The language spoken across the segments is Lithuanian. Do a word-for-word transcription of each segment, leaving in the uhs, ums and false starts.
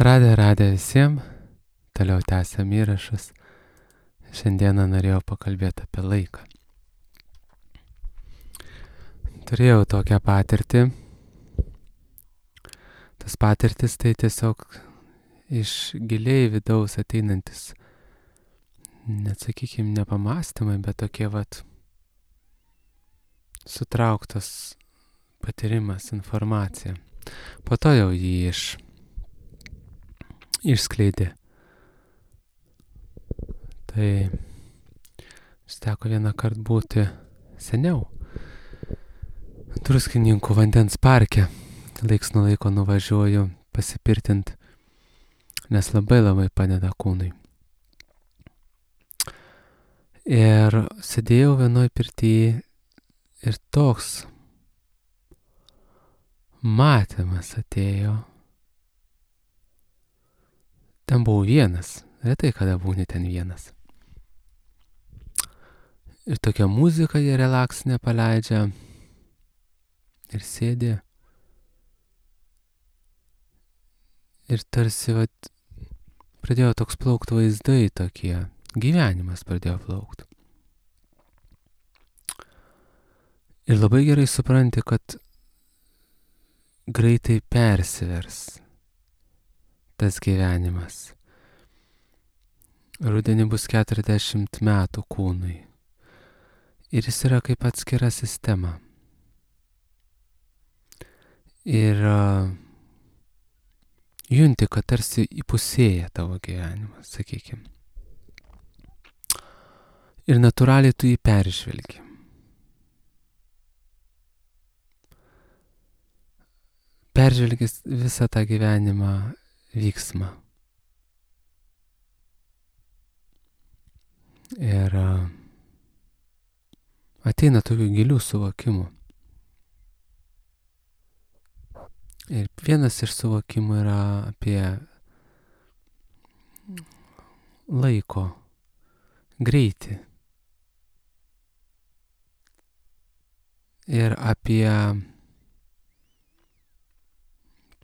Radė, radė visiems, toliau tęsiam įrašus. Šiandieną norėjau pakalbėti apie laiką. Turėjau tokią patirtį. Tas patirtis tai tiesiog iš giliai vidaus ateinantis, net sakykime, ne pamastymai, bet tokie vat sutrauktas patyrimas, informacija. Po to jau jį iš išskleidė. Tai teko vieną kartą būti seniau Druskininkų vandens parke. Laiks nuo laiko nuvažiuoju pasipirtint, nes labai labai padeda kūnui. Ir sėdėjau vienoj pirty ir toks matymas atėjo. Ten buvau vienas, retai kada būni ten vienas. Ir tokia muzika jie relaksinė paleidžia ir sėdi. Ir tarsi vat, pradėjo toks plaukt vaizdai tokie, gyvenimas pradėjo plaukt. Ir labai gerai supranti, kad greitai persivers tas gyvenimas. Rudenį bus keturiasdešimt metų kūnui. Ir jis yra kaip atskira sistema. Ir uh, junti, kad tarsi įpusėja tavo gyvenimas, sakykime. Ir natūraliai tu jį peržvelgi. Peržvelgi visą tą gyvenimą vyksmą. Ir uh, ateina tokių gilių suvokimų. Ir vienas iš suvokimų yra apie laiko greitį. Ir apie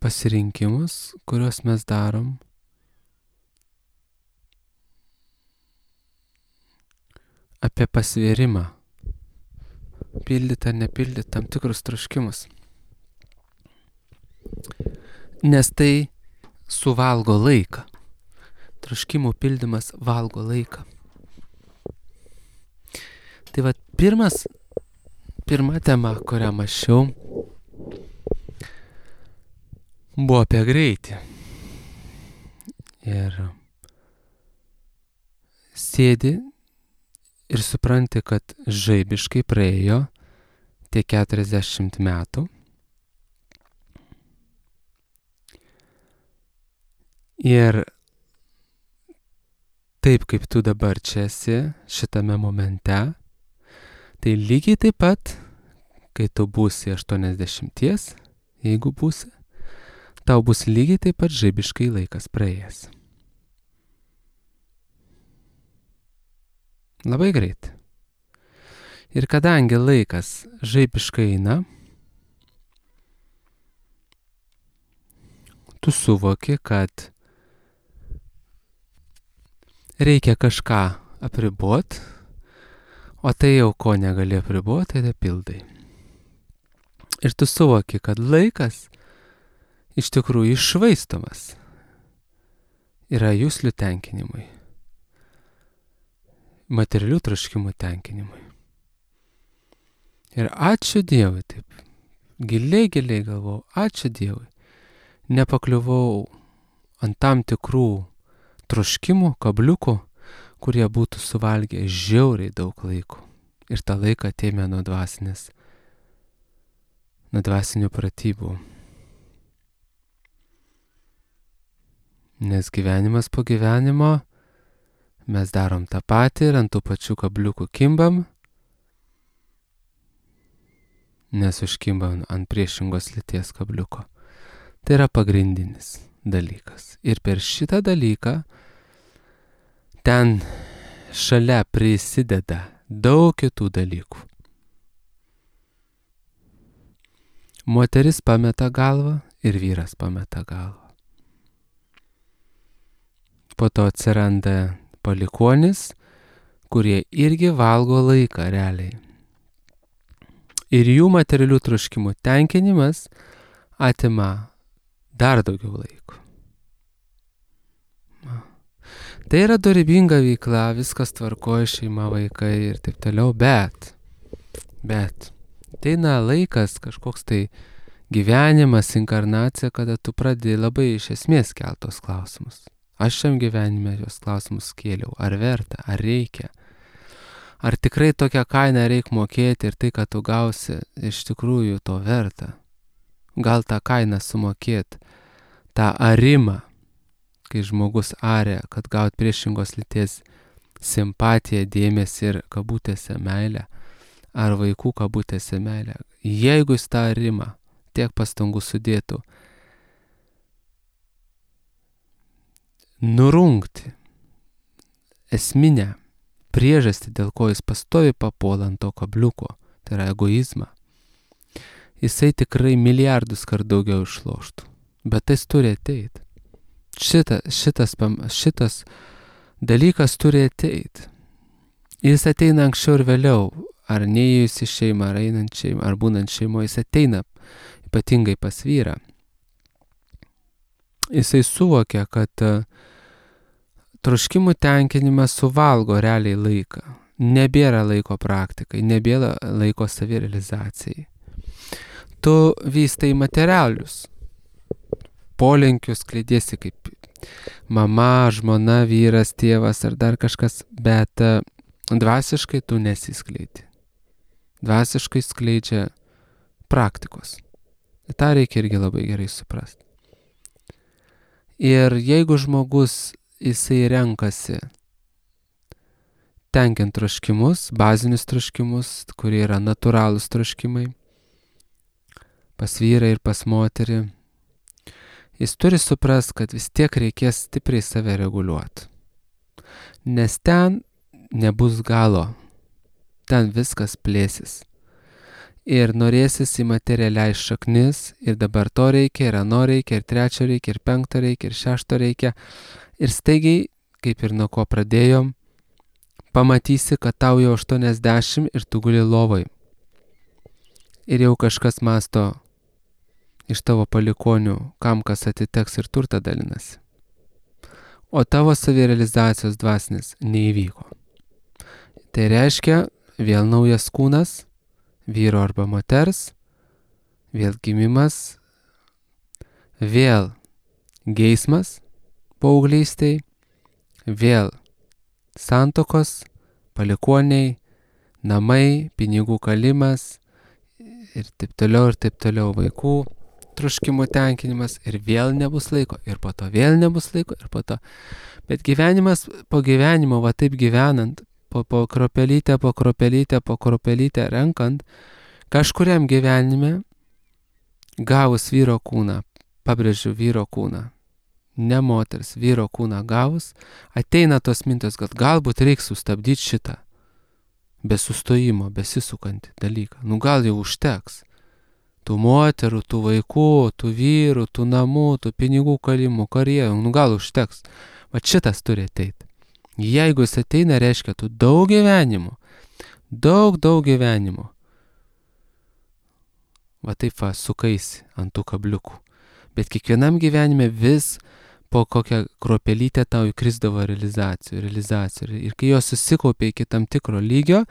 pasirinkimus, kuriuos mes darom. Apie pasvėrimą. Pildyti ar nepildyti tam tikrus troškimus. Nes tai suvalgo laiką. Troškimų pildymas valgo laiką. Tai va pirmas, pirma tema, kurią mąsčiau, buvo apie greitį. Ir sėdi ir supranti, kad žaibiškai praėjo tie keturiasdešimt metų. Ir taip kaip tu dabar čia esi, šitame momente, tai lygiai taip pat, kai tu būsi aštuoniasdešimties, jeigu būsi, tau bus lygiai taip pat žaibiškai laikas praėjęs. Labai greit. Ir kadangi laikas žaibiškai eina, tu suvoki, kad reikia kažką apribot, o tai jau ko negali apribot, tai pildai. Ir tu suvoki, kad laikas iš tikrųjų iššvaistomas yra juslių tenkinimui, materialių troškimų tenkinimui. Ir ačiū Dievui, taip, giliai, giliai galvau, ačiū Dievui, nepakliuvau ant tam tikrų troškimų, kabliukų, kurie būtų suvalgę žiauriai daug laiko. Ir tą laiką atėmė nuo dvasinės, nuo dvasinių pratybų. Nes gyvenimas po gyvenimo mes darom tą patį ir ant tų pačių kabliukų kimbam, nes užkimbam ant priešingos lyties kabliuko. Tai yra pagrindinis dalykas. Ir per šitą dalyką ten šalia prisideda daug kitų dalykų. Moteris pameta galvą ir vyras pameta galvą. po to atsiranda palikuonis, kurie irgi valgo laiką realiai. Ir jų materialių troškimų tenkinimas atima dar daugiau laiko. Tai yra dorybinga veikla, viskas tvarkoja, šeima, vaikai ir taip toliau, bet, bet, ateina laikas, kažkoks tai gyvenimas, inkarnacija, kada tu pradedi labai iš esmės keltos klausimus. Aš šiam gyvenime jos klausimus kėliau, ar verta, ar reikia, ar tikrai tokią kainą reikia mokėti ir tai, kad tu gausi, iš tikrųjų to verta. Gal tą kainą sumokėti, tą arimą, kai žmogus aria, kad gaut priešingos lyties simpatiją, dėmesį ir kabutėse meilę, ar vaikų kabutėse meilę. Jeigu jis tą arimą tiek pastangų sudėtų, nurungti esminę priežastį, dėl ko jis pastovi papuola ant to kabliuko, tai yra egoizmą, jisai tikrai milijardus kart daugiau išloštų. Bet tai turi ateiti. Šita, šitas, šitas dalykas turi ateiti. Jis ateina anksčiau ir vėliau, ar neįėjus į šeimą, ar einant šeimą, ar būnant šeimoje, jis ateina ypatingai pas vyrą. Jisai suvokia, kad uh, troškimų tenkinimas suvalgo realiai laiką. Nebėra laiko praktikai, nebėra laiko savirealizacijai. Tu vystai materialius polinkius, klėdėsi kaip mama, žmona, vyras, tėvas ar dar kažkas, bet uh, dvasiškai tu nesiskleidi. Dvasiškai skleidžia praktikos. Ta reikia irgi labai gerai suprasti. Ir jeigu žmogus jisai renkasi tenkint troškimus, bazinius troškimus, kurie yra natūralūs troškimai, pas vyrą ir pas moterį, jis turi suprast, kad vis tiek reikės stipriai save reguliuoti. Nes ten nebus galo, ten viskas plėsis. Ir norėsis į materialiai šaknis, ir dabar to reikia, ir ano reikia, ir trečio reikia, ir penkto reikia, ir šešto reikia. Ir staigiai, kaip ir nuo ko pradėjom, pamatysi, kad tau jau aštuoniasdešimt ir tu guli lovai. Ir jau kažkas masto iš tavo palikonių, kam kas atiteks ir turtą dalinasi. O tavo savirealizacijos dvasinis neįvyko. Tai reiškia vėl naujas kūnas, vyro arba moters, vėl gimimas, vėl geismas paauglystėj, vėl santokos, palikoniai, namai, pinigų kalimas ir taip toliau ir taip toliau vaikų troškimų tenkinimas ir vėl nebus laiko, ir po to vėl nebus laiko, ir po to. Bet gyvenimas po gyvenimo, va taip gyvenant, po, po kropelytę, po kropelytę, po kropelytę renkant, kažkuriam gyvenime, gavus vyro kūną, pabrėžiu vyro kūną, ne moters, vyro kūną gavus, ateina tos mintis, kad galbūt reiks sustabdyti šitą be sustojimo, besisukantį dalyką. Nu gal jau užteks. Tų moterų, tų vaikų, tų vyrų, tų namų, tų pinigų kalimų, karjerų, nu gal užteks. Va šitas turi ateiti. Jeigu jis ateina, reiškia, tu daug gyvenimo, daug, daug gyvenimo. Va taip va, sukaisi ant tų kabliukų. Bet kiekvienam gyvenime vis po kokią kropelytę tau įkrisdavo realizacijų, realizacijų. Ir kai jos susikaupė iki tam tikro lygio,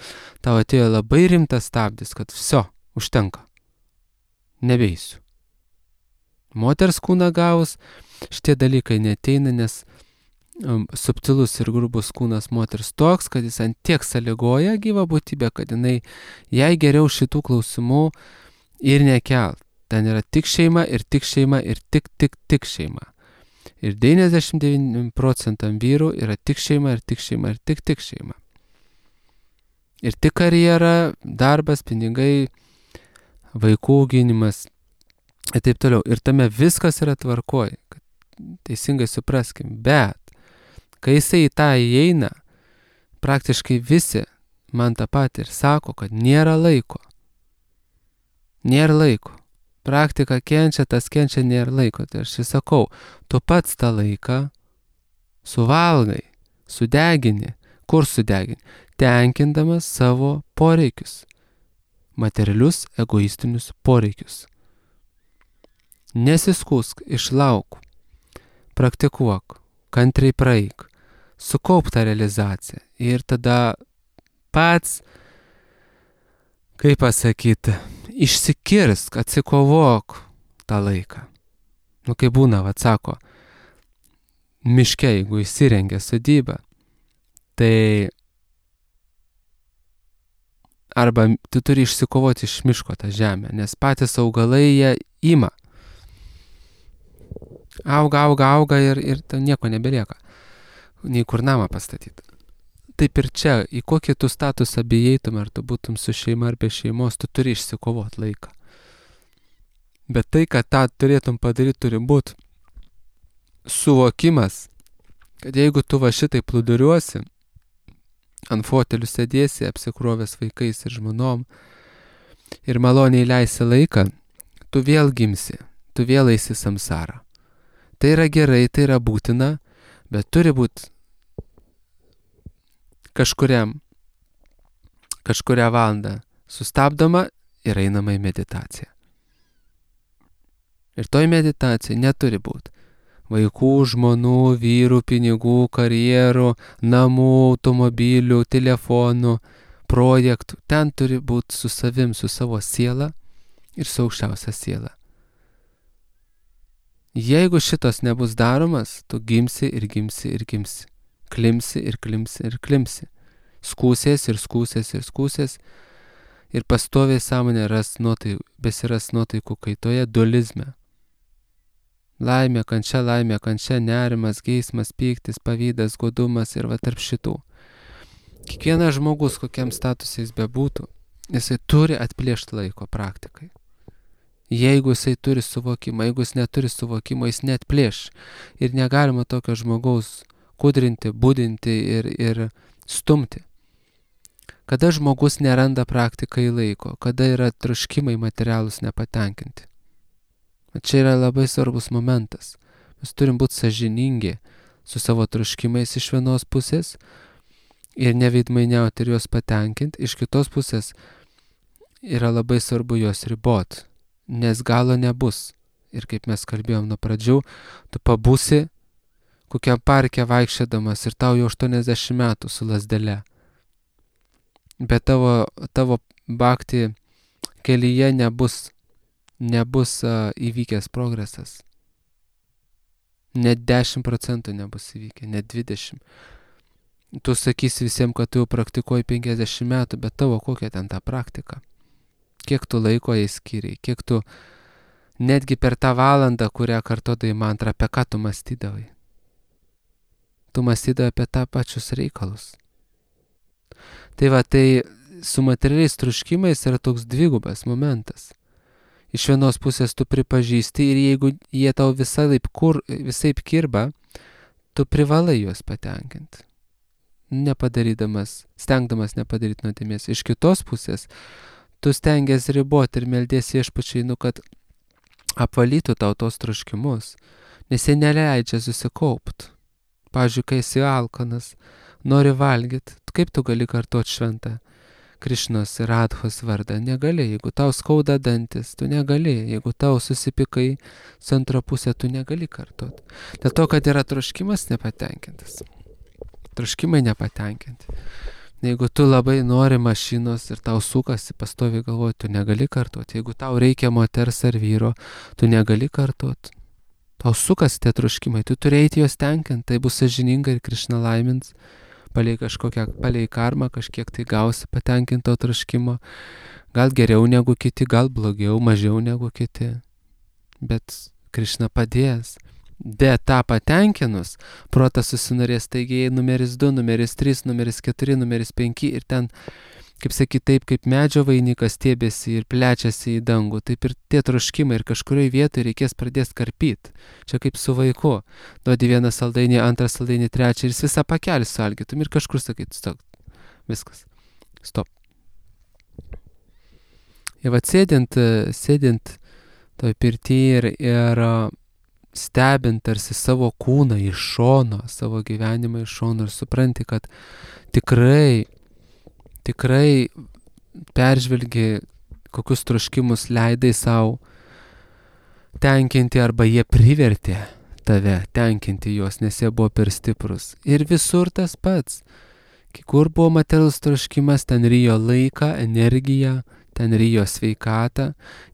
tau atėjo labai rimtas stabdis, kad viso, užtenka. Nebeisiu. Moters kūną gavus, šitie dalykai neteina, nes um, subtilus ir grubus kūnas moters toks, kad jis ant tiek sąlygoja gyvą būtybę, kad jinai, jai geriau šitų klausimų ir nekelt. Ten yra tik šeima ir tik šeima ir tik, tik, tik šeima. Ir devyniasdešimt devyni procentam vyrų yra tik šeima ir tik šeima ir tik, tik šeima. Ir tik karjera, darbas, pinigai, vaikų auginimas ir taip toliau. Ir tame viskas yra tvarkoj, kad teisingai supraskim. Bet, kai jisai į tą įeina, praktiškai visi man tą patį ir sako, kad nėra laiko. Nėra laiko. Praktika kenčia, tas kenčia, nėra laiko. Tai aš sakau, tu pats tą laiką suvalgai, sudegini. Kur sudegini? Tenkindamas savo poreikius. Materialius, egoistinius poreikius. Nesiskūsk, išlauk. Praktikuok, kantriai praeik. Sukaup tą realizaciją. Ir tada pats, kaip pasakyti, išsikirsk, atsikovok tą laiką. Nu, kai būna, vat sako, miške, jeigu įsirengia sodybą, tai arba tu turi išsikovoti iš miško tą žemę, nes patys augalai jie ima. Auga, auga, auga ir, ir nieko nebelieka. Nei kur namą pastatyti. Taip ir čia, į kokį tu statusą bijeitum, ar tu būtum su šeima ar be šeimos, tu turi išsikovot laiką. Bet tai, kad tą turėtum padaryti, turi būti suvokimas, kad jeigu tu va šitai plūduriuosi, ant fotelių sėdėsi, apsikrovęs vaikais ir žmonom, ir maloniai leisi laiką, tu vėl gimsi, tu vėl eisi samsarą. Tai yra gerai, tai yra būtina, bet turi būti kažkuriam, kažkurią valandą sustabdoma ir einama į meditaciją. Ir toj meditacijai neturi būti vaikų, žmonų, vyrų, pinigų, karjerų, namų, automobilių, telefonų, projektų. Ten turi būti su savim, su savo siela ir su aukščiausia siela. Jeigu šitos nebus daromas, tu gimsi ir gimsi ir gimsi. Klimsi ir klimsi ir klimsi. Skūsės ir skūsės ir skūsės. Ir pastoviai sąmonė ras nuotaikų, besiras nuotaikų kaitoje dualizme. Laimė, kančia, laimė, kančia, nerimas, geismas, pyktis, pavydas, godumas ir va tarp šitų. Kiekvienas žmogus, kokiam statusai jis bebūtų, jisai turi atplėšti laiko praktikai. Jeigu jisai turi suvokimą, jeigu jis neturi suvokimo, jis neatplėš. Ir negalima tokio žmogaus kudrinti, budinti ir, ir stumti. Kada žmogus neranda praktikai laiko, kada yra troškimai materialūs nepatenkinti. Čia yra labai svarbus momentas. Mes turim būti sąžiningi su savo troškimais iš vienos pusės ir neveidmainiauti ir juos patenkinti. Iš kitos pusės yra labai svarbu juos ribot, nes galo nebus. Ir kaip mes kalbėjom nuo pradžių, tu pabūsi kokiam parke vaikščiodamas ir tau jau aštuoniasdešimt metų su lazdele. Bet tavo, tavo bhakti kelyje nebus nebus uh, įvykęs progresas. Net dešimt procentų nebus įvykę, net dvidešimt. Tu sakysi visiems, kad tu jau praktikuoji penkiasdešimt metų, bet tavo kokia ten ta praktika? Kiek tu laiko jai skiriai? Kiek tu netgi per tą valandą, kurią kartodai mantrą, apie ką tu mąstydavai? Tu mąstydavai apie tą pačius reikalus. Tai va, tai su materialiais troškimais yra toks dvigubas momentas. Iš vienos pusės tu pripažįsti ir jeigu jie tau visaip, kur, visaip kirba, tu privalai juos patenkinti. Nepadarydamas, stengdamas nepadaryti nuodėmės. Iš kitos pusės, tu stengiasi riboti ir meldiesi viešpačiui, nu, kad apvalytų tau tos troškimus, nes jie neleidžia susikaupti. Pavyzdžiui, kai esi alkanas, nori valgyti, kaip tu gali kartuoti šventą Krišnos ir Radhos vardą? Negali. Jeigu tau skauda dantis, tu negali. Jeigu tau susipikai su antra pusė, tu negali kartuoti. Dėl to, kad yra troškimas nepatenkintas. Troškimai nepatenkinti. Jeigu tu labai nori mašinos ir tau sukasi, pastovi galvoji, tu negali kartuoti. Jeigu tau reikia moters ar vyro, tu negali kartuoti. Tau sukasi tie troškimai, tu turi eiti juos tenkinti, tai bus sąžininga ir Krišna laimins. Palei kažkokią, palei karmą kažkiek tai gausi patenkinto troškimo. Gal geriau negu kiti, gal blogiau, mažiau negu kiti. Bet Krišna padės. Bet tą patenkinus, protas susinorės taigi numeris du, numeris trys, numeris keturi, numeris penki ir ten, kaip sakyt, taip kaip medžio vainikas stiebėsi ir plečiasi į dangų, taip ir tie troškimai ir kažkurioje vietoje reikės pradėti karpyti. Čia kaip su vaiku. Duodi vieną saldainį, antrą saldainį, trečią ir jis visą pakelį suvalgytum ir kažkur sakyt, stop, viskas, stop. Ir va sėdint, sėdint toj pirty ir, ir stebint tarsi savo kūną iš šono, savo gyvenimą iš šono ir supranti, kad tikrai, tikrai peržvelgi, kokius troškimus leidai savo tenkinti arba jie privertė tave tenkinti juos, nes jie buvo per stiprus. Ir visur tas pats. Kai kur buvo materialus troškimas, ten rijo laiką, energiją, ten rijo sveikatą,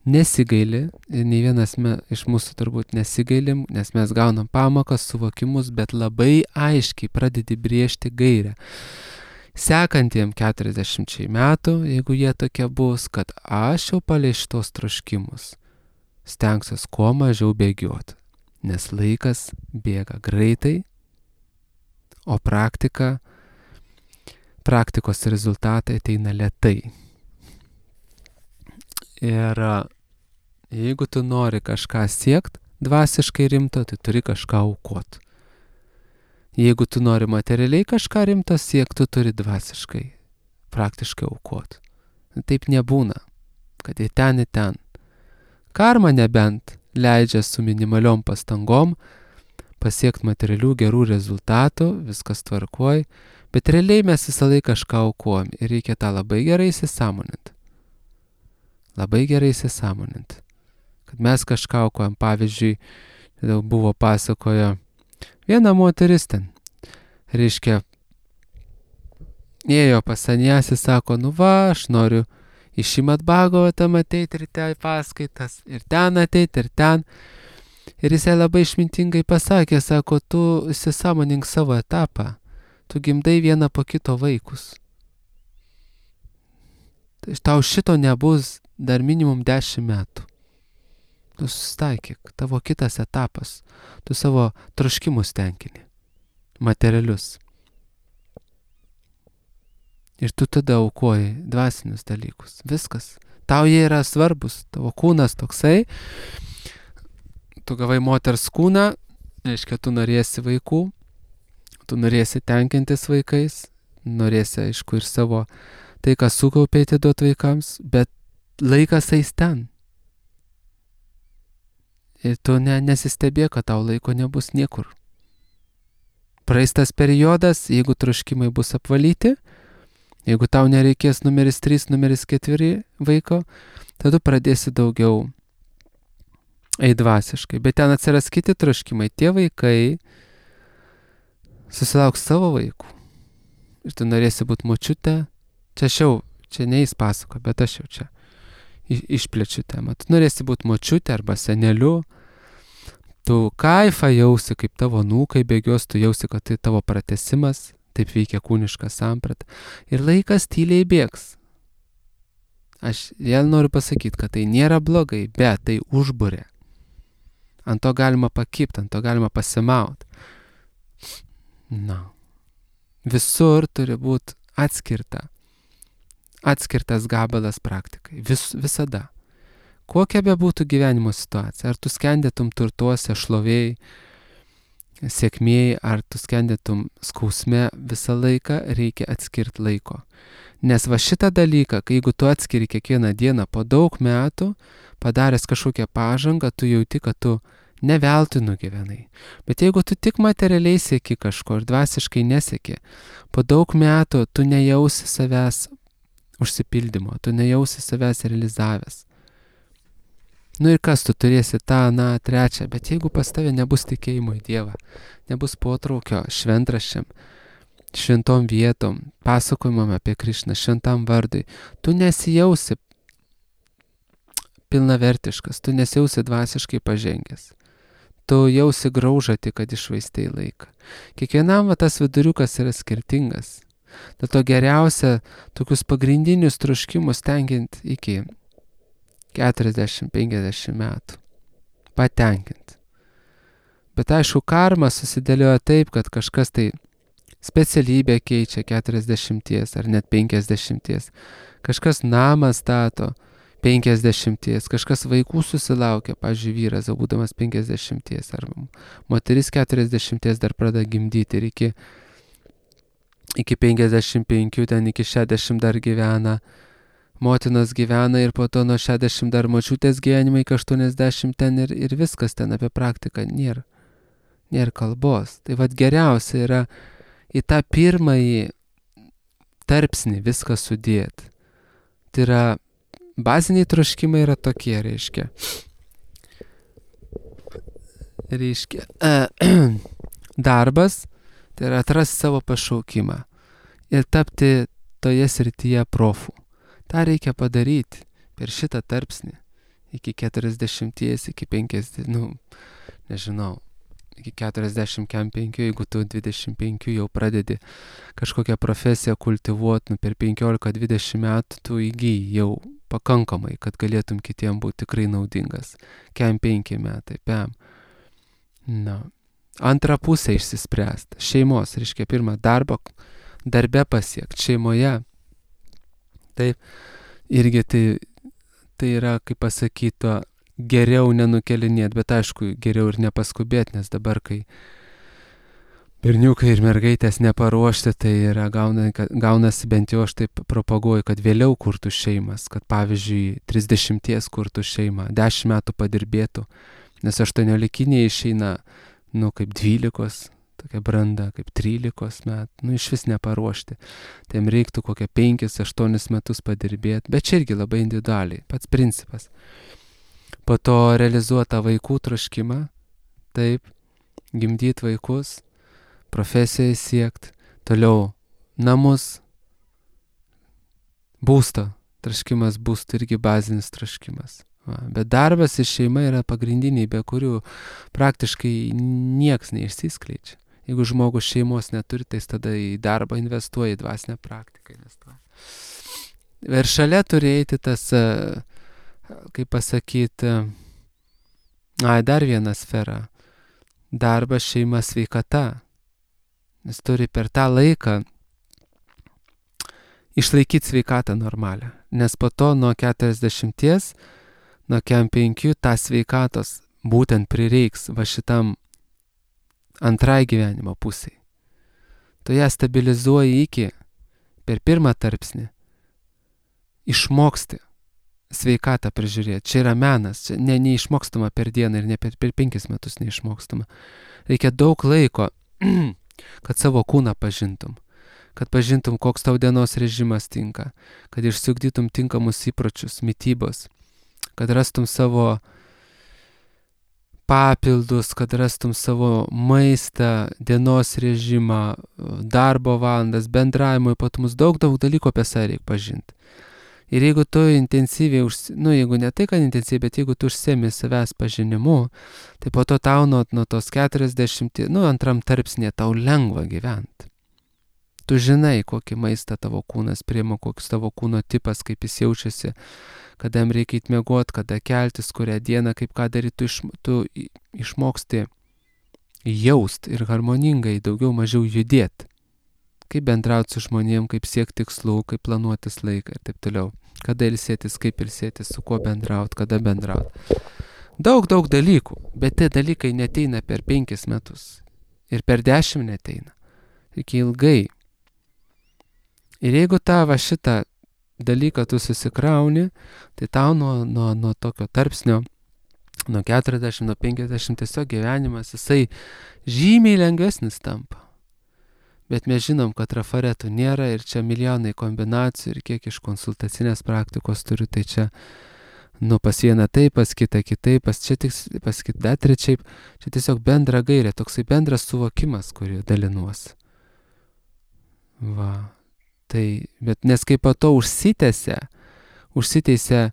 nesigaili, ir nei vienas me, iš mūsų turbūt nesigailim, nes mes gaunam pamokas, suvokimus, bet labai aiškiai pradedi brėžti gairę. Sekantiem keturiasdešimčiai metų, jeigu jie tokie bus, kad aš jau palei šitos troškimus stengsiuos kuo mažiau bėgioti, nes laikas bėga greitai, o praktika, praktikos rezultatai ateina lėtai. Ir jeigu tu nori kažką siekt dvasiškai rimto, tai turi kažką aukot. Jeigu tu nori materialiai kažką rimto siekt, tu turi dvasiškai, praktiškai aukot. Taip nebūna, kad į ten, į ten. Karma nebent leidžia su minimaliom pastangom pasiekti materialių gerų rezultatų, viskas tvarkoj, bet realiai mes visą laiką kažką aukojam ir reikia tą labai gerai įsisąmoninti. Labai gerai įsisąmoninti. Kad mes kažką aukojam, pavyzdžiui, buvo pasakojo viena moteris ten, reiškia, ėjo pas saniasį, sako, nu va, aš noriu į Šrimad Bhagavatam ateiti ir ten paskaitas, ir ten ateiti, ir ten. Ir jisai labai išmintingai pasakė, sako, tu įsisąmonink savo etapą, tu gimdai vieną po kito vaikus. Tai tau šito nebus dar minimum dešimt metų. Tu susitaikyk, tavo kitas etapas, tu savo troškimus tenkini, materialius. Ir tu tada aukoji dvasinius dalykus. Viskas. Tau jie yra svarbus. Tavo kūnas toksai. Tu gavai moters kūną, reiškia, tu norėsi vaikų, tu norėsi tenkintis vaikais, norėsi, aišku, ir savo tai, ką sukaupė, atiduot vaikams, bet laikas eis ten. Ir tu ne, nesistebėk, kad tau laiko nebus niekur. Praeis tas periodas, jeigu troškimai bus apvalyti, jeigu tau nereikės numeris trys, numeris keturi vaiko, tada pradėsi daugiau eiti dvasiškai. Bet ten atsiras kiti troškimai. Tie vaikai susilauks savo vaikų. Ir tu norėsi būti močiute. Čia aš jau, čia neįs pasako, bet aš jau čia išplečiu temą. Tu norėsi būti močiute arba seneliu. Tu kaifą jausi, kaip tavo nūkai bėgios, tu jausi, kad tai tavo pratesimas. Taip veikia kūniška samprata. Ir laikas tyliai bėgs. Aš vėl noriu pasakyti, kad tai nėra blogai, bet tai užburė. Ant to galima pakipti, ant to galima pasimauti. Na. Visur turi būti atskirta. Atskirtas gabalas praktikai. Vis, visada. Kokia be būtų gyvenimo situacija. Ar tu skendėtum turtuose, šlovėjai, sėkmėjai, ar tu skendėtum skausme, visą laiką reikia atskirti laiko. Nes va šitą dalyką, kai jeigu tu atskiri kiekvieną dieną po daug metų, padaręs kažkokią pažangą, tu jauti, kad tu ne veltui nugyvenai. Bet jeigu tu tik materialiai sieki kažko ir dvasiškai nesieki, po daug metų tu nejausi savęs užsipildymo, tu nejausi savęs realizavęs. Nu ir kas, tu turėsi tą, na, trečią, bet jeigu pas tave nebus tikėjimo į Dievą, nebus potraukio šventraščiam, šventom vietom, pasakojimam apie Krišną, šventam vardui, tu nesijausi pilnavertiškas, tu nesijausi dvasiškai pažengęs. Tu jausi graužatį, kad išvaistai laiką. Kiekvienam va, tas viduriukas yra skirtingas. Dėl to geriausia tokius pagrindinius troškimus tenkinti iki keturiasdešimt penkiasdešimt metų. Patenkinti. Bet aišku, karma susidėlioja taip, kad kažkas tai specialybę keičia keturiasdešimties ar net penkiasdešimties. Kažkas namą stato penkiasdešimties, kažkas vaikų susilaukia, pavyzdžiui, vyras, būdamas penkiasdešimties, ar moteris keturiasdešimties dar pradeda gimdyti ir iki, iki penkiasdešimt penkių, ten iki šešiasdešimt dar gyvena. motinos gyvena ir po to nuo šešiasdešimt dar močiutės gyvenimai iki aštuoniasdešimt ten ir, ir viskas ten apie praktiką nėra. Nėra kalbos. Tai vad geriausia yra į tą pirmąjį tarpsnį viską sudėti. Tai yra, baziniai troškimai yra tokie, reiškia. Reiškia, uh, darbas, tai yra atrasti savo pašaukimą ir tapti toje srityje profų. Ta reikia padaryti per šitą tarpsnį iki keturiasdešimties, iki penkiasdešimt, nu, nežinau, iki keturiasdešimt penkių, jeigu tu dvidešimt penkių jau pradedi kažkokią profesiją kultivuoti, nu, per penkiolika dvidešimt metų tu įgyji jau pakankamai, kad galėtum kitiem būti tikrai naudingas. Kem penki metai, pem. Na. Antrą pusę išsispręsti. Šeimos, reiškia, pirmą darbą, darbe pasiekti, šeimoje. Taip, irgi tai, tai yra, kaip pasakyto, geriau nenukelinėti, bet aišku, geriau ir nepaskubėti, nes dabar, kai berniukai ir mergaitės neparuošti, tai yra gauna, gaunasi bent jau aš taip propaguoju, kad vėliau kurtų šeimas, kad pavyzdžiui, trisdešimties kurtų šeimą, dešimt metų padirbėtų, nes aštuoniolikiniai išeina, nu, kaip dvylikos, tokia branda, kaip trylikos metų, nu, iš vis neparuošti. Tai jam reiktų kokią penkis, aštuonis metus padirbėti, bet čia irgi labai individualiai, pats principas. Po to realizuota vaikų troškimą, taip, gimdyti vaikus, profesiją siekti, toliau namus, būsto, troškimas būsto irgi bazinis troškimas. Va, bet darbas ir šeima yra pagrindiniai, be kurių praktiškai nieks neišsiskleidžia. Jeigu žmogus šeimos neturi, tai tada į darbą investuoja, į dvasinę praktiką investuoja. Ir šalia turi eiti tas, kaip pasakyti, ai, dar viena sfera. Darbas, šeima, sveikata. Nes turi per tą laiką išlaikyti sveikatą normalią. Nes po to nuo keturiasdešimties, nuo kem penkių tą sveikatos būtent prireiks va šitam antrai gyvenimo pusiai. Tu ją stabilizuoji iki, per pirmą tarpsnį, išmoksti sveikatą prižiūrėti. Čia yra menas, čia ne, neišmokstama per dieną ir ne per, per penkis metus neišmokstama. Reikia daug laiko, kad savo kūną pažintum, kad pažintum, koks tau dienos režimas tinka, kad išsiugdytum tinkamus įpročius, mitybos, kad rastum savo papildus, kad rastum savo maistą, dienos režimą, darbo valandas, bendravimo ypatumus, daug, daug dalykų apie save reikia pažinti. Ir jeigu tu intensyviai, užsi... nu jeigu ne tai, kad intensyviai, bet jeigu tu užsiemi savęs pažinimu, tai po to tau nuo, nuo tos keturiasdešimt, nu antram tarpsnė tau lengva gyventi. Tu žinai, kokį maistą tavo kūnas priima, koks tavo kūno tipas, kaip jis jaučiasi, kada jam reikia įtmiegoti, kada keltis, kurią dieną, kaip ką daryti, tu, iš, tu išmoksti jaust ir harmoningai daugiau mažiau judėti. Kaip bendrauti su žmonėm, kaip siekti tikslų, kaip planuotis laiką ir taip toliau. Kada ilsėtis, kaip ilsėtis, su kuo bendrauti, kada bendrauti. Daug, daug dalykų, bet tie dalykai neteina per penkis metus. Ir per dešimt neteina. Reikia ilgai. Ir jeigu tavo šitą dalyką tu susikrauni, tai tau nuo, nuo, nuo tokio tarpsnio, nuo keturiasdešimt, nuo penkiasdešimt tiesiog gyvenimas, jisai žymiai lengvesnis tampa. Bet mes žinom, kad trafaretų nėra ir čia milijonai kombinacijų ir kiek iš konsultacinės praktikos turiu, tai čia, nu, pas vieną taip, pas kitą kitaip, pas čia tik, pas kitą dar trečiaip, čia tiesiog bendra gairė, toksai bendras suvokimas, kurį dalinuosi. Va. Tai, bet nes kaip po to užsitęsia, užsitęsia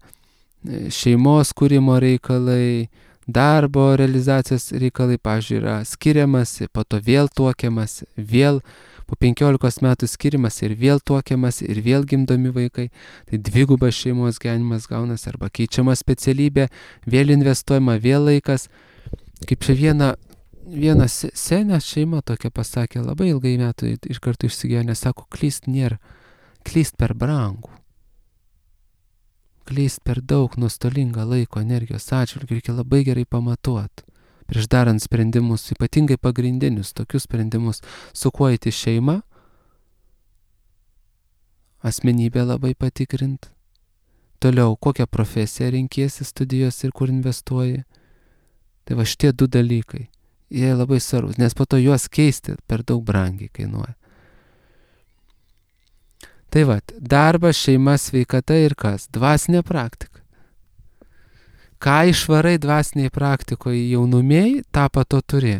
šeimos kūrimo reikalai, darbo realizacijos reikalai, pavyzdžiui, yra skiriamasi, po to vėl tuokiamasi, vėl po penkiolikos metų skiriamasi ir vėl tuokiamasi ir vėl gimdomi vaikai. Tai dvigubas šeimos gyvenimas gaunasi arba keičiama specialybė, vėl investuojama, vėl laikas. Kaip čia viena, viena senė šeima tokia pasakė, labai ilgai metų iš karto išsigyvenę, sako, klyst nėra, klyst per brangų. Klyst per daug nuostolingą laiko, energijos atžvilgių, reikia labai gerai pamatuoti. Prieš darant sprendimus, ypatingai pagrindinius, tokius sprendimus, su kuo eiti šeimą, asmenybę labai patikrint, Toliau, kokią profesiją renkiesi studijos ir kur investuoji. Tai va šitie du dalykai. Jie labai svarbus, nes po to juos keisti per daug brangiai kainuoja. Tai va, darbas, šeima, sveikata ir kas? Dvasinė praktika. Ką išvarai dvasiniai praktikoje jaunumėjai, tą pato turi.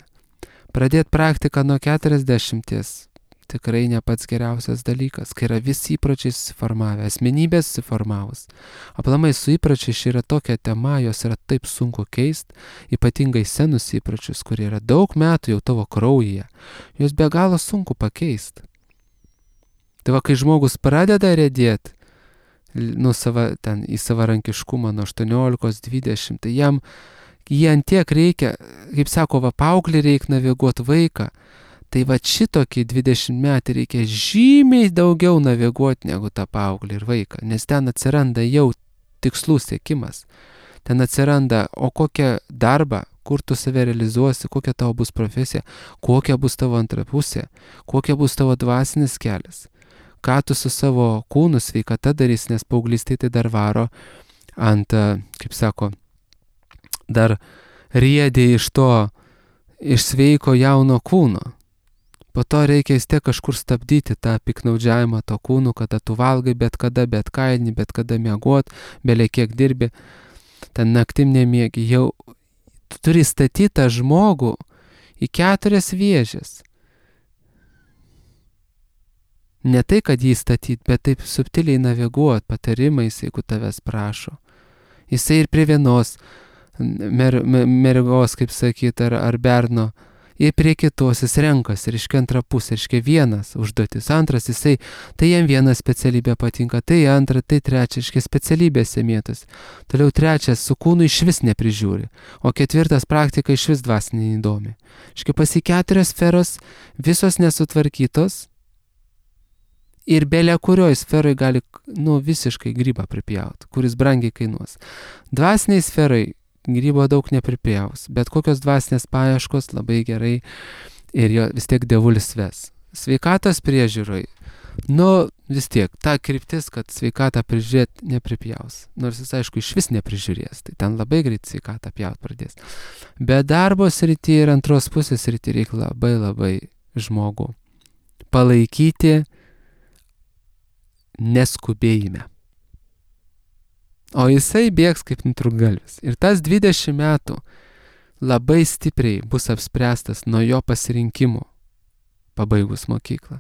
Pradėti praktiką nuo keturiasdešimties tikrai ne pats geriausias dalykas, kai yra visi įpročiai susiformavę, asmenybės susiformavus. Aplamai su įpročiais yra tokia tema, jos yra taip sunku keisti, ypatingai senus įpročius, kurie yra daug metų jau tavo kraujyje. Jos be galo sunku pakeisti. Tai va, kai žmogus pradeda rėdėti, nu, sava, ten, į savarankiškumą nuo aštuoniolikos dvidešimt, tai jam jie ant tiek reikia, kaip sako, va, paauglį reikia naviguoti vaiką, tai va šitokį dvidešimt metį reikia žymiai daugiau naviguoti negu tą paauglį ir vaiką, nes ten atsiranda jau tikslų siekimas. Ten atsiranda, o kokią darbą, kur tu save realizuosi, kokia tavo bus profesija, kokia bus tavo antra pusė, kokia bus tavo dvasinis kelias, ką tu su savo kūnu sveikata darys, nes paauglystė tai dar varo ant, kaip sako, dar riedė iš to, iš sveiko jauno kūno. Po to reikia vis tiek kažkur stabdyti tą piknaudžiavimą to kūnu, kada tu valgai, bet kada, bet kaini, bet kada miegot, belė kiek dirbi, ten naktim nemiegi. Jau tu turi statyti tą žmogų į keturias vėžes. Ne tai, kad jį statyti, bet taip subtiliai naviguoti patarimais, jeigu tavęs prašo. Jisai ir prie vienos mer, mergos, kaip sakyt, ar, ar berno, ir prie kitos jis renkasi, reiškia antrą pusę, reiškia vienas užduotis, antras jisai, tai jam viena specialybė patinka, tai antra, tai trečia, reiškia specialybėse mėtas. Toliau trečias su kūnu iš vis neprižiūri, o ketvirtas praktika iš vis dvasinė įdomi. Reiškia pasi keturios sferos, visos nesutvarkytos ir belė kurioj sferoj gali, nu, visiškai grybą pripjauti, kuris brangiai kainuos. Dvasiniai sferai grybo daug nepripjaus, bet kokios dvasinės paieškos labai gerai ir jo vis tiek dievulis ves. Sveikatos priežiūroj, nu vis tiek, ta kryptis, kad sveikatą prižiūrėti nepripjaus. Nors jis aišku iš vis neprižiūrės, tai ten labai greit sveikatą pjaut pradės. Bet darbo srity ir antros pusės srity reikia labai labai žmogų palaikyti neskubėjime. O jisai bėgs kaip nutrūktgalvis. Ir tas dvidešimt metų labai stipriai bus apspręstas nuo jo pasirinkimo pabaigus mokyklą.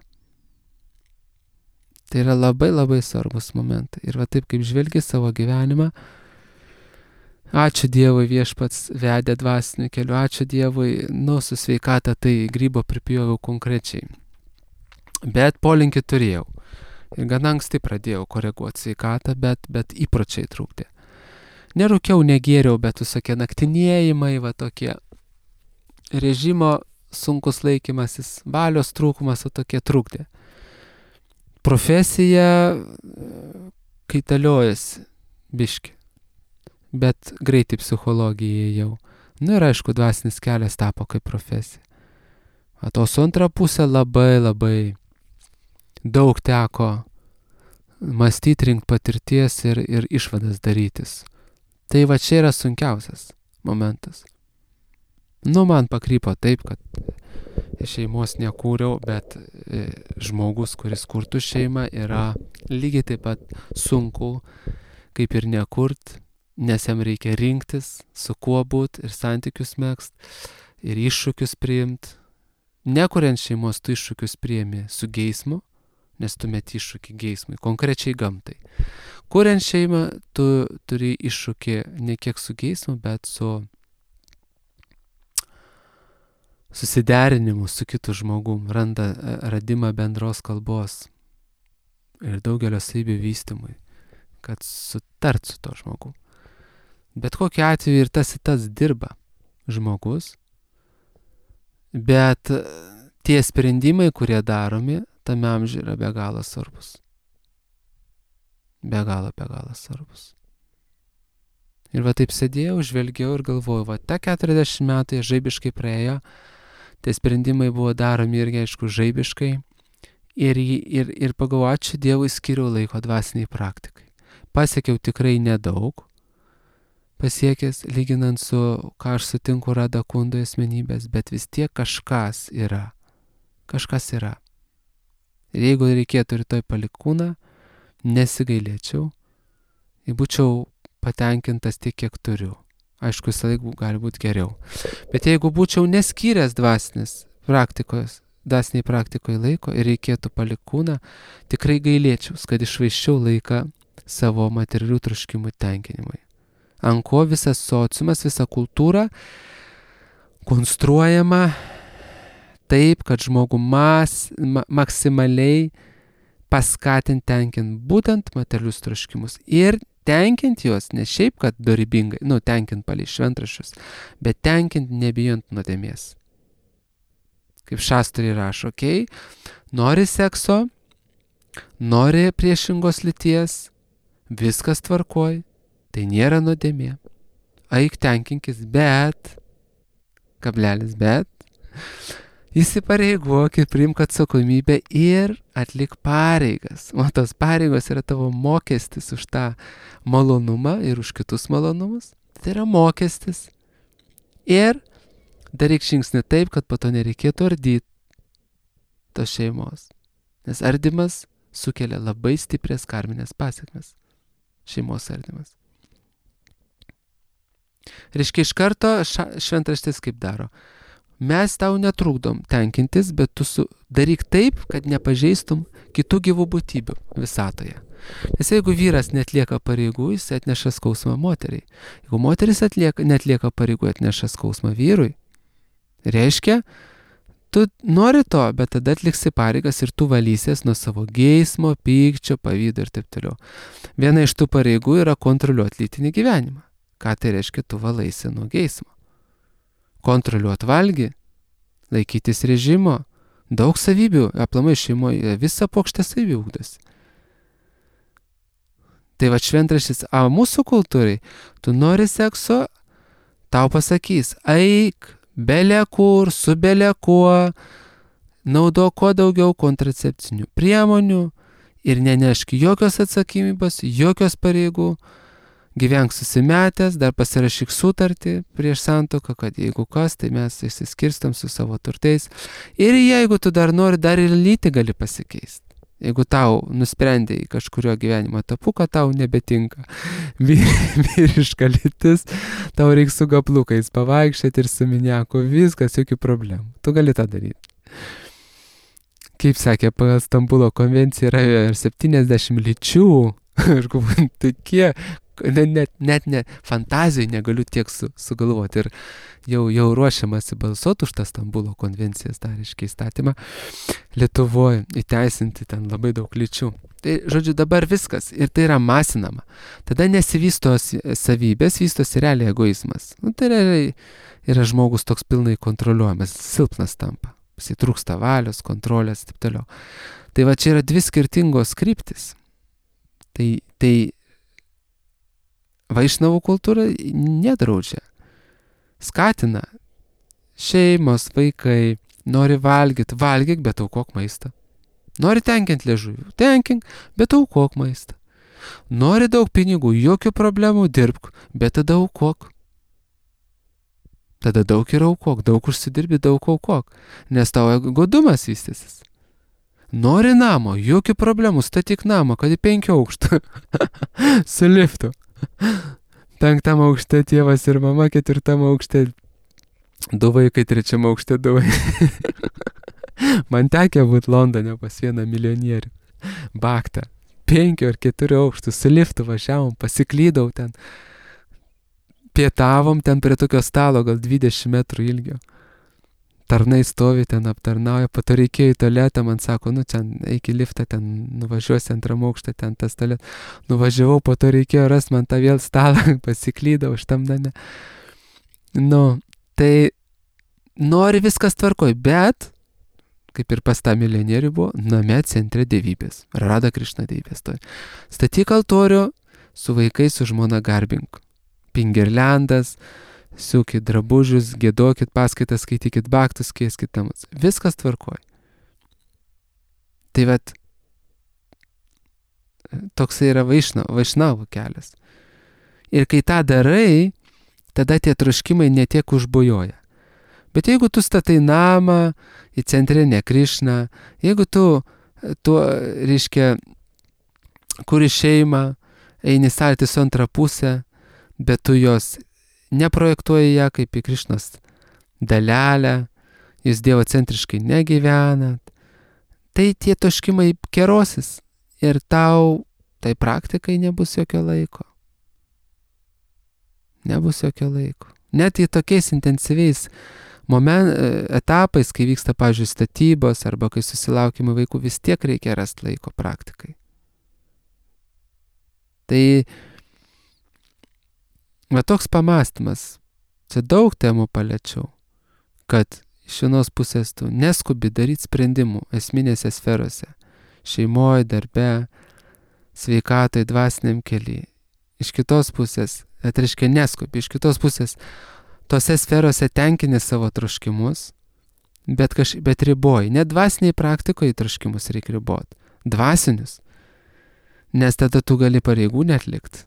Tai yra labai labai svarbus momentai. Ir va taip kaip žvelgi savo gyvenimą, ačiū Dievui viešpats vedė dvasiniu keliu, ačiū Dievui, nu su sveikata tai grybo pripjoviau konkrečiai. Bet polinkį turėjau. Ir gana anksti pradėjau koreguoti sveikatą, bet, bet įpročiai trūkdė. Nerūkiau, negėriau, bet visokie naktinėjimai, va tokie režimo sunkus laikymasis, valios trūkumas, o tokie trūkdė. Profesija kaitaliojasi biški, bet greitai psichologijai jau. Nu ir aišku, dvasinis kelias tapo kaip profesija. O to su antra pusė labai labai daug teko mąstyti, rinkti patirties ir, ir išvadas darytis. Tai va čia yra sunkiausias momentas. Nu, man pakrypo taip, kad šeimos nekūriau, bet e, žmogus, kuris kurtų šeimą, yra lygiai taip pat sunku, kaip ir nekurt, nes jam reikia rinktis, su kuo būt ir santykius megzt, ir iššūkius priimt. Nekuriant šeimos, tu iššūkius priimi su geismu, nes tu meti iššūkį geismui, konkrečiai gamtai. Kuriant šeimą, tu turi iššūkį ne kiek su geismu, bet su susiderinimu su kitu žmogum, randa radimą bendros kalbos ir daugelio savybių vystymui, kad sutart su to žmogu. Bet kokiu atveju ir tas ir tas dirba žmogus, bet tie sprendimai, kurie daromi, tame amžiuje yra be galo svarbus. Be galo, be galo svarbus. Ir va taip sėdėjau, žvelgiau ir galvojau, va ta keturiasdešimt metai žaibiškai praėjo, tie sprendimai buvo daromi irgi, aišku, žaibiškai. Ir, ir, ir pagalvojau, ačiū Dievui, skiriau laiko dvasiniai praktikai. pasiekiau tikrai nedaug, pasiekęs, lyginant su, ką aš sutinku Rada Kundoje asmenybės, bet vis tiek kažkas yra. Kažkas yra. Ir jeigu reikėtų rytoj palikti kūną, nesigailėčiau, ir būčiau patenkintas tiek, kiek turiu. Aišku, visą laiką gali būti geriau. Bet jeigu būčiau neskyręs dvasinės praktikos, dvasiniai praktikoje laiko ir reikėtų palikti kūną, tikrai gailėčiaus, kad išvaiščiau laiką savo materialių troškimų tenkinimui. Ant ko visas sociumas, visa kultūra konstruojama taip, kad žmogų mas, ma, maksimaliai paskatinti tenkint būtent materialius troškimus. Ir tenkint juos ne šiaip, kad dorybingai, nu, tenkint palei šventraščius, bet tenkint nebijant nuodėmės. Kaip šastrai rašo, okei, okay, nori sekso, nori priešingos lyties, viskas tvarkoj, tai nėra nuodėmė. Eik tenkinkis, bet, kablelis, bet, įsipareigok ir priimk atsakomybę ir atlik pareigas. O tos pareigos yra tavo mokestis už tą malonumą ir už kitus malonumus. Tai yra mokestis. Ir daryk žingsnį taip, kad po to nereikėtų ardyti tos šeimos. Nes ardymas sukelia labai stiprias karminės pasekmes. Šeimos ardymas. Reiškia, iš karto šventraštis kaip daro. Mes tau netrukdom tenkintis, bet tu su, daryk taip, kad nepažeistum kitų gyvų būtybių visatoje. Nes jeigu vyras netlieka pareigų, jis atneša skausmą moteriai. Jeigu moteris atlieka, netlieka pareigų, atneša skausmą vyrui. Reiškia, tu nori to, bet tada atliksi pareigas ir tu valysies nuo savo geismo, pykčio, pavydo ir taip toliau. Viena iš tų pareigų yra kontroliuoti lytinį gyvenimą. Ką tai reiškia, tu valaisi nuo geismo. Kontroliuoti valgį, laikytis režimo, daug savybių, aplamai šeimoje visą pokštę savybių ugdosi. Tai va šventraštis, a mūsų kultūrai, tu nori sekso, tau pasakys, eik, bele kur, su bele kuo, naudok kuo daugiau kontracepcinių priemonių ir nenešk jokios atsakymybės, jokios pareigų. Gyvenk susimetęs, dar pasirašyk sutartį prieš santuoką, kad jeigu kas, tai mes išsiskirstam su savo turtais. Ir jeigu tu dar nori, dar ir lytį gali pasikeisti. Jeigu tau nusprendė į kažkurio gyvenimo etapu, kad tau nebetinka vyriška lytis, tau reikia su gaplukais pavaikščioti ir su miniaku, viskas, jokių problemų. Tu gali tą daryti. Kaip sakė, pagal Stambulo konvenciją yra septyniasdešimt lyčių. Aš galvoju, tai kiek, net, net ne fantazijai negaliu tiek su, sugalvoti. Ir jau, jau ruošiamasi balsuoti už tą Stambulo konvencijas, tą reiškia įstatymą, Lietuvoje įteisinti ten labai daug lyčių. Tai, žodžiu, dabar viskas. Ir tai yra masinama. Tada nesivysto savybės, vystosi realiai egoizmas. Nu, tai realiai yra žmogus toks pilnai kontroliuojamas, silpnas tampa. Jis trūksta valios, kontrolės ir taip toliau. Tai va čia yra dvi skirtingos kryptis. Tai, tai vaišnavų kultūra nedraudžia. Skatina. Šeimos, vaikai, nori valgyti, valgyk, bet aukok maistą. Nori tenkinti liežuvį, tenkink, bet aukok maistą. Nori daug pinigų, jokių problemų, dirbk, bet tada aukok. Tada daug ir aukok, daug užsidirbi, daug aukok, nes tavo godumas vystysis. Nori namo, jokių problemų, statyk namą, kad į penkių aukštų. Su liftu. Penktam aukšte tėvas ir mama, ketvirtam aukšte du vaikai, trečiam aukšte du vaikai. Man tekė būti Londone pas vieną milijonierių. Baktą. Penkių ar keturių aukštų, su liftu važiavom, pasiklydau ten. Pietavom ten prie tokio stalo, gal dvidešimt metrų ilgio. Tarnai stovi ten, aptarnauja, po to reikėjo į tualetą, man sako, nu, ten eik į liftą, ten nuvažiuosi antram aukštą, ten tas tualet. Nuvažiavau, po to reikėjo rasti man tą vėl stalą, pasiklydau šitam name. Nu, tai nori viskas tvarkoj, bet, kaip ir pas tą milijonierių buvo, name centre dievybės, Rada Krišna dievybės. Statyk altorių, su vaikais, su žmona garbink. Pingirlendas, siūkit drabužius, giedokit paskaitas, skaitykit baktus, keiskit namus. Viskas tvarkoj. Tai vat, toks yra vaišnavo, vaišnavo kelias. Ir kai tą darai, tada tie troškimai netiek užbujoja. Bet jeigu tu statai namą į centrinę Krišną, jeigu tu, tu reiškia, kuri šeimą, eini salti su antrą pusę, bet tu jos neprojektuoji ją kaip į Krišnos dalelę, jūs Dievo centriškai negyvenat, tai tie troškimai kerosis ir tau tai praktikai nebus jokio laiko. Nebus jokio laiko. Net į tokiais intensyviais moment, etapais, kai vyksta, pavyzdžiui, statybos arba kai susilaukime vaikų, vis tiek reikia rasti laiko praktikai. Tai va toks pamąstymas, čia daug temų paliečiau, kad iš vienos pusės tu neskubi daryti sprendimų esminėse sferose, šeimoje, darbe, sveikatai, dvasiniam kely. Iš kitos pusės, tai reiškia neskubi, iš kitos pusės tose sferose tenkini savo troškimus, bet, kaž, bet riboji. Net dvasiniai praktikoje troškimus reikia riboti. Dvasinius. Nes tada tu gali pareigų netlikti.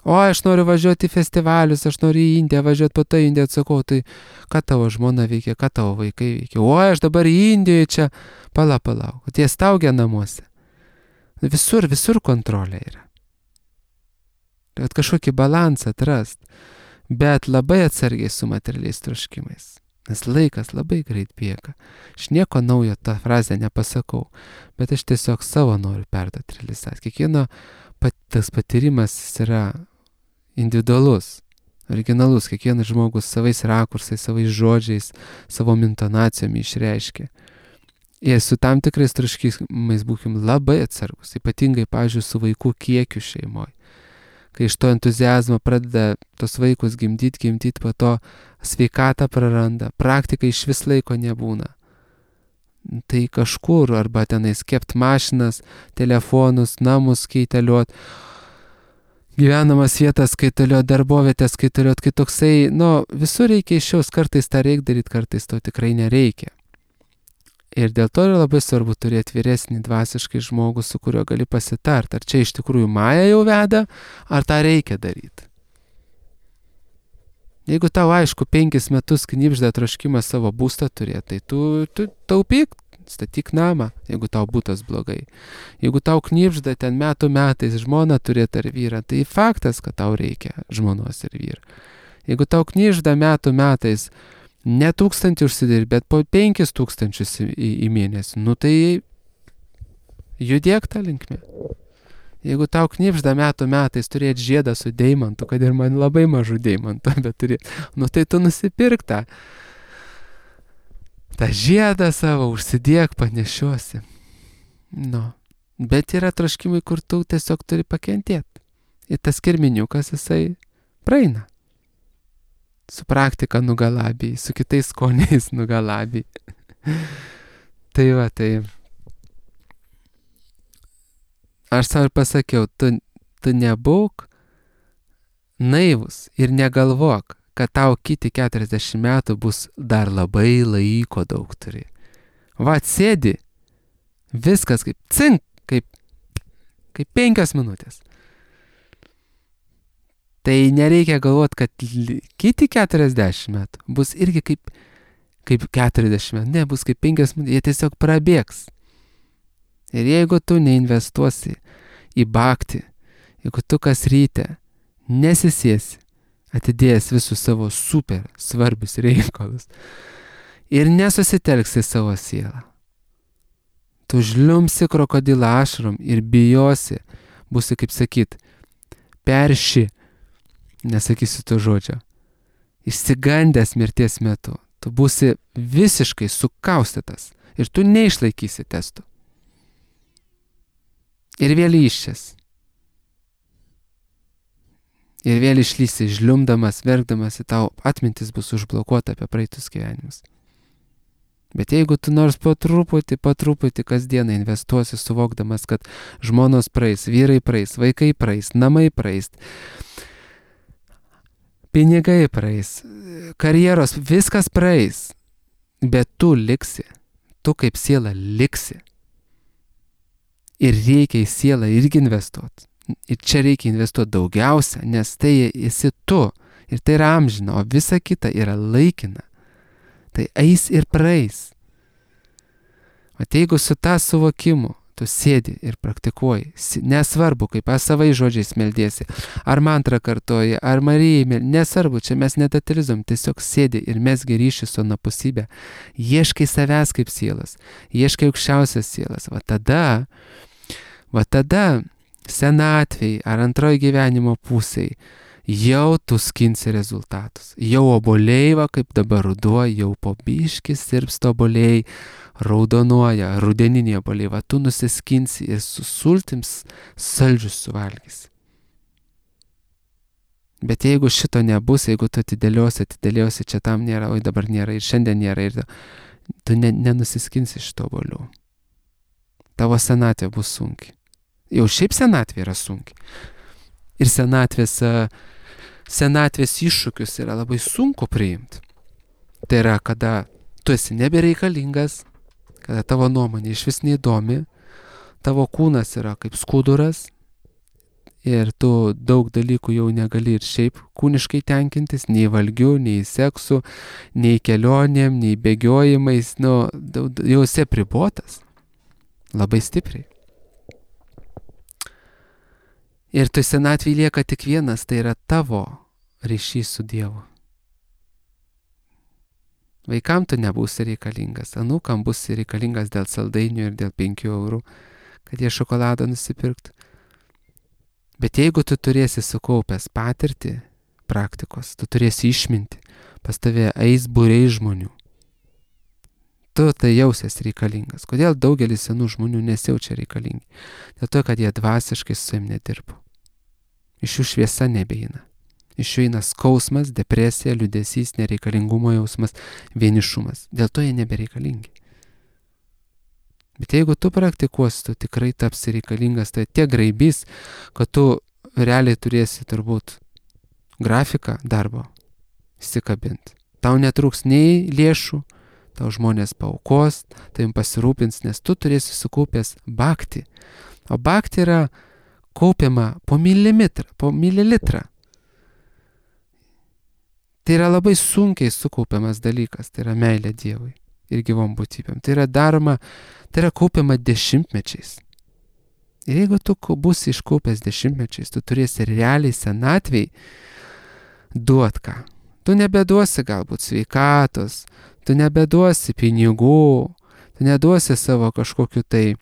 O, aš noriu važiuoti į festivalius, aš noriu į Indiją važiuoti, po to Indiją atsakau, tai ką tavo žmona veikia, ką tavo vaikai veikia. O, aš dabar į Indiją čia, pala, palau, tie staugia namuose. Visur, visur kontrolė yra. Bet kažkokį balansą atrast, bet labai atsargiai su materialiais troškimais. Nes laikas labai greit bėga. Aš nieko naujo tą frazę nepasakau, bet aš tiesiog savo noriu perduoti realizaciją. Kiekvieno pat, tas patyrimas yra individualus, originalus. Kiekvienas žmogus savais rakursais, savais žodžiais, savo intonacijom išreiškia. Ir su tam tikrais troškimais būkim labai atsargus, ypatingai, pavyzdžiui, su vaikų kiekiu šeimoje. Kai iš to entuziazmo pradeda tos vaikus gimdyti, gimdyti, po to sveikatą praranda, praktikai iš vis laiko nebūna. Tai kažkur, arba tenais kept mašinas, telefonus, namus kaitaliuot, gyvenamas vietas kaitaliuot, darbovietės kaitaliuot, kai toksai, nu, visur reikia išjaus, kartais tą reikia daryti, kartais to tikrai nereikia. Ir dėl to yra labai svarbu turėti vyresnį dvasiškai žmogų, su kuriuo gali pasitart, ar čia iš tikrųjų Maja jau veda, ar tą reikia daryti. Jeigu tau aišku penkis metus knibžda troškimą savo būstą turėti, tai tu, tu taupyk, statyk namą, jeigu tau būtas blogai. Jeigu tau knibžda ten metų metais žmoną turėti ar vyrą, tai faktas, kad tau reikia žmonos ir vyro. Jeigu tau knibžda metų metais ne tūkstantį užsidirbi, bet po penkis tūkstančius į, į mėnesį, nu tai judėk tą linkmę. Jeigu tau knibžda metų metais turėti žiedą su deimantu, kad ir man labai mažų deimantų, bet turėti, nu tai tu nusipirk tą, tą žiedą savo, užsidėk, panešiosi. Nu, bet yra troškimai, kur tu tiesiog turi pakentėti. Ir tas kirminiukas, jisai praeina. Su praktika nugalabijai, su kitais skoniais nugalabijai. Tai va, tai aš savo pasakiau, tu, tu nebūk naivus ir negalvok, kad tau kiti keturiasdešimt metų bus dar labai laiko daug turi. Va, sėdi, viskas kaip cink, kaip, kaip penkios minutės. Tai nereikia galvoti, kad kiti keturiasdešimt metų bus irgi kaip, kaip keturiasdešimt metų, ne, bus kaip penkios minutės, jie tiesiog prabėgs. Ir jeigu tu neinvestuosi į bhakti, jeigu tu kas ryte nesisėsi, atidėjęs visus savo super svarbius reikalus ir nesusitelksi savo sielą, tu žliumsi krokodilą ašarom ir bijosi, būsi, kaip sakyt, perši, nesakysiu to žodžio, išsigandęs mirties metu, tu būsi visiškai sukaustytas ir tu neišlaikysi testų. Ir vėl iščias. Ir vėl išlysi žliumdamas, verkdamas, ir tau atmintis bus užblokuota apie praeitus gyvenimus. Bet jeigu tu nors po truputį, po truputį kasdieną investuosi, suvokdamas, kad žmonos praeis, vyrai praeis, vaikai praeis, namai praeis, pinigai praeis, karjeros, viskas praeis, bet tu liksi, tu kaip siela liksi. Ir reikia į sielą irgi investuoti. Ir čia reikia investuoti daugiausia, nes tai esi tu. Ir tai yra amžina, o visa kita yra laikina. Tai eis ir praeis. O jeigu su tą suvokimu tu sėdi ir praktikuoji, nesvarbu, kaip savai žodžiais meldiesi, ar mantrą kartoji, ar Marijai meldiesi, nesvarbu, čia mes nedetalizom, tiesiog sėdi ir mesgi ryšį su anapusybė, ieškai savęs kaip sielas, ieškai aukščiausias sielas, va tada, va tada senatvėj ar antroji gyvenimo pusėj jau tu skinsi rezultatus, jau obuoliai, va kaip dabar ruduo, jau po biškį sirpsta obuoliai, raudonuoja, rudeniniai obuoliai, va tu nusiskinsi ir su sultims saldžius suvalgysi. Bet jeigu šito nebus, jeigu tu atidėliosi, atidėliosi, čia tam nėra, oi dabar nėra ir šiandien nėra, ir tu ne, nenusiskinsi šito obuolių. Tavo senatvė bus sunki. Jau šiaip senatvė yra sunki. Ir senatvės, senatvės iššūkius yra labai sunku priimti. Tai yra, kada tu esi nebereikalingas, kada tavo nuomonė iš vis neįdomi, tavo kūnas yra kaip skuduras ir tu daug dalykų jau negali ir šiaip kūniškai tenkintis, nei valgiu, nei seksu, nei kelionėm, nei bėgiojimais, nu, jau esi apribotas labai stipriai. Ir tu senatvėje lieka tik vienas, tai yra tavo ryšys su Dievu. Vaikam tu nebūsi reikalingas, anūkam būsi reikalingas dėl saldainių ir dėl penkių eurų, kad jie šokoladą nusipirktų. Bet jeigu tu turėsi sukaupęs patirtį praktikos, tu turėsi išminti, pas tave eis būriai žmonių. Tu tai jausies reikalingas. Kodėl daugelis senų žmonių nesijaučia reikalingi? Dėl to, kad jie dvasiškai su savim nedirbo. Iš jų šviesa nebeina. Iš jų eina skausmas, depresija, liūdesys, nereikalingumo jausmas, vienišumas. Dėl to jie nebereikalingi. Bet jeigu tu praktikuosi, tu tikrai tapsi reikalingas, tai tiek graibys, kad tu realiai turėsi turbūt grafiką darbo įsikabinti. Tau netrūks nei lėšų, tau žmonės paaukos, tavim pasirūpins, nes tu turėsi sukaupęs bhakti. O bhakti yra kaupiama po milimetrą, po mililitrą. Tai yra labai sunkiai sukaupiamas dalykas, tai yra meilė Dievui ir gyvom būtybėm. Tai yra daroma, tai yra kaupiama dešimtmečiais. Ir jeigu tu būsi iškaupęs dešimtmečiais, tu turėsi realiai senatvėj duot ką. Tu nebeduosi galbūt sveikatos, tu nebeduosi pinigų, tu neduosi savo kažkokiu tai,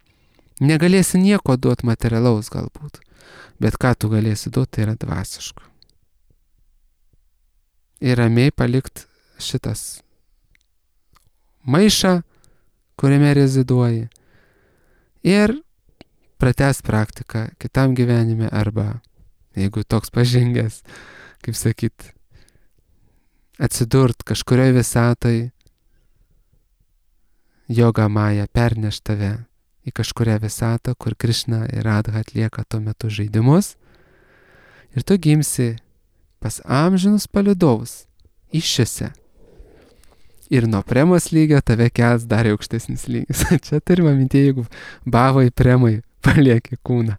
negalėsi nieko duoti materialaus galbūt, bet ką tu galėsi duoti, tai yra dvasiško. Ir ramiai palikt šitas maišą, kuriame reziduoji, ir pratęs praktiką kitam gyvenime, arba, jeigu toks pažengęs, kaip sakyt, atsidurt kažkurioje visatoj, joga maja perneš tave į kažkurią visatą, kur Krišna ir Radha atlieka tuo metu žaidimus, ir tu gimsi pas amžinus palydovus iššiose. Ir nuo premos lygio tave kels dar aukštesnis lygis. Čia turime minti, jeigu bavai premai palieki kūną.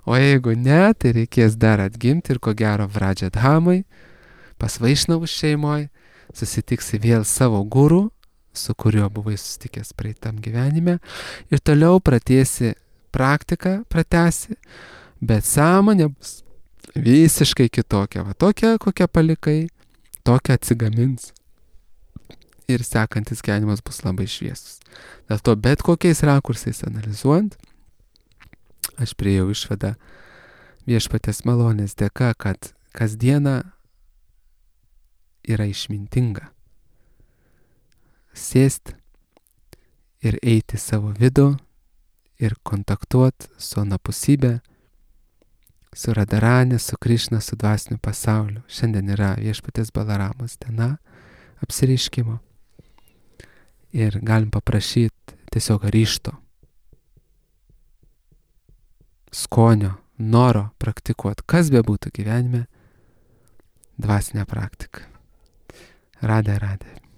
O jeigu ne, tai reikės dar atgimti ir ko gero Vradžadhamai, pas Vaišnavų šeimoje, susitiksi vėl savo guru, su kuriuo buvai susitikęs praeitam gyvenime, ir toliau pratęsi praktiką, pratęsi, bet sąmonė bus visiškai kitokia. Va tokia, kokią palikai, tokia atsigamins. Ir sekantis gyvenimas bus labai šviesus. Dėl to bet kokiais rakursais analizuojant, aš priėjau išvadą viešpaties malonės dėka, kad kasdiena yra išmintinga. Sėsti ir eiti savo vidų ir kontaktuoti su anapusybė, su Radharani, su Krišna, su dvasiniu pasauliu. Šiandien yra viešpaties Balaramos diena apsireiškimo. Ir galim paprašyti tiesiog ryžto, skonio, noro praktikuoti, kas be būtų gyvenime, dvasinę praktiką. Radhe, radhe.